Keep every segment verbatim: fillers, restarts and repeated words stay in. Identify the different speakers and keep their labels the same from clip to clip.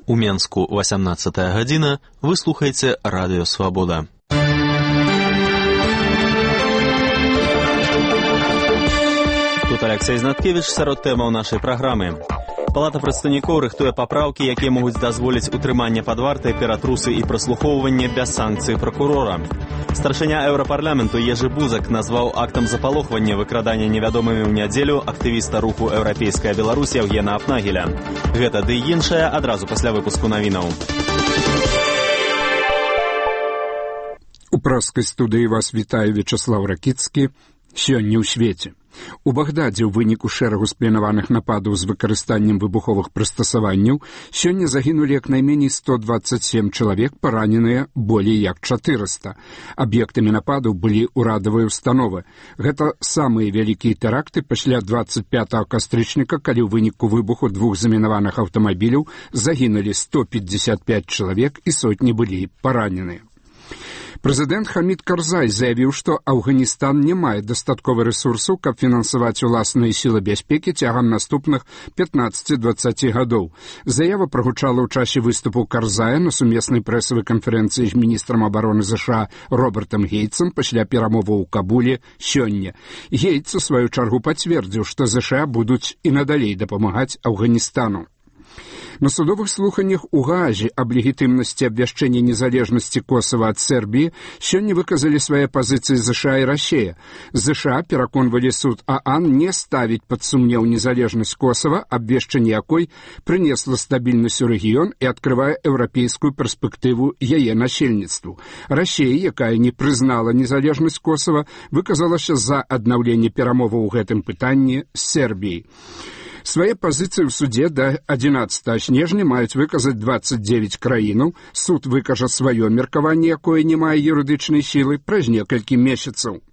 Speaker 1: У Менску васямнаццатая гадзіна, вы слухаеце Радыё Свабода. Тут Алексей Знаткевич сярод тэмаў нашай праграмы. Палата прадстаўнікоў рыхтуе папраўкі, якія могуць дазволіць утрыманне пад вартай, ператрусы і праслухоўванне без санкцыі пракурора. Старшыня Еўрапарламенту Ежы Бузак назваў актам запалохвання выкрадання невядомымі ў нядзелю актывіста руху «Еўрапейская Беларусь» Евгена Апнагеля. Гэта ды і іншае адразу пасля выпуску навінаў.
Speaker 2: У праскай студыі вас вітае Вячаслав Ракіцкі. Сёння ў свеце. У Багдадзе ў выніку шэрагу спланаваных нападаў з выкарыстаннем выбуховых прыстасаванняў сёння загінулі як найменей сто дваццаць сем чалавек, параненыя болей як чатырыста. Аб'ектамі нападаў былі ўрадавыя ўстановы. Гэта самыя вялікія тэракты пасля дваццаць пятага кастрычніка, калі ў выніку выбуху двух замінаваных аўтамабіляў загінулі сто пятьдесят пять чалавек і сотні былі параненыя. Прэзідэнт Хамід Карзай заявіў, што Афганістан не мае дастатковых рэсурсаў, каб фінансаваць уласныя сілы бяспекі цягам наступных пятнаццаці-дваццаці гадоў. Заява прагучала ў часе выступу Карзая на сумеснай прэсавай канферэнцыі з міністрам абароны ЗША Робертам Гейтсам пасля перамоваў у Кабуле сёння. Гейтс у сваю чаргу пацвердзіў, што ЗША будуць і надалей дапамагаць Афганістану. На судовых слуханнях у Гаазе аб легітымнасці абвяшчэння незалежнасці Косава ад Сербіі сёння выказалі свае пазіцыі ЗША і Расія. ЗША пераконвалі суд ААН не ставіць пад сумнеў незалежнасць Косава, абвешчанне якой прынесла стабільнасць у рэгіён і адкрывае еўрапейскую перспектыву яе насельніцтву. Расія, якая не прызнала незалежнасць Косава, выказалася за аднаўленне перамоваў у гэтым пытанні з Сербіяй. Свае пазіцыі ў судзе да адзінаццатага снежня маюць выказаць дваццаць дзевяць краінаў. Суд выкажа сваё меркаванне, якое не мае юрыдычнай сілы, праз некалькі месяцаў.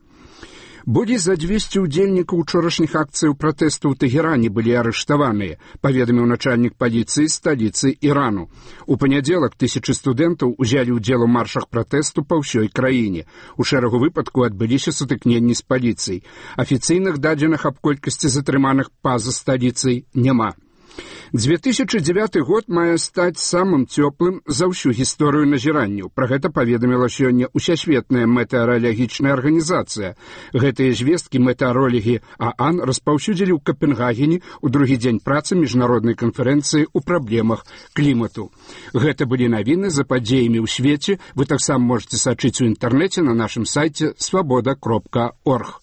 Speaker 2: Болей за дзвесце ўдзельнікаў учорашніх акцыяў пратэсту ў Тэгеране былі арыштаваныя, паведаміў начальнік паліцыі сталіцы Ірану. У панядзелак тысячы студэнтаў узялі ўдзел у маршах пратэсту па ўсёй краіне. У шэрагу выпадку адбыліся сутыкненні з паліцыяй. Афіцыйных дадзеных аб колькасці затрыманых па-за сталіцай няма. две тысячи девятый год мае стаць самым цёплым за ўсю гісторыю назіранняў. Пра гэта паведаміла сёння Усесветная метэаралагічная арганізацыя. Гэтыя звесткі метэарологі ААН распаўсюдзілі ў Капенгагене ў другі дзень працы міжнароднай канферэнцыі ў праблемах клімату. Гэта былі навіны за падзеямі ў свеце. Вы таксама можете сачыць у інтэрнэце на нашым сайце свабода кропка орг.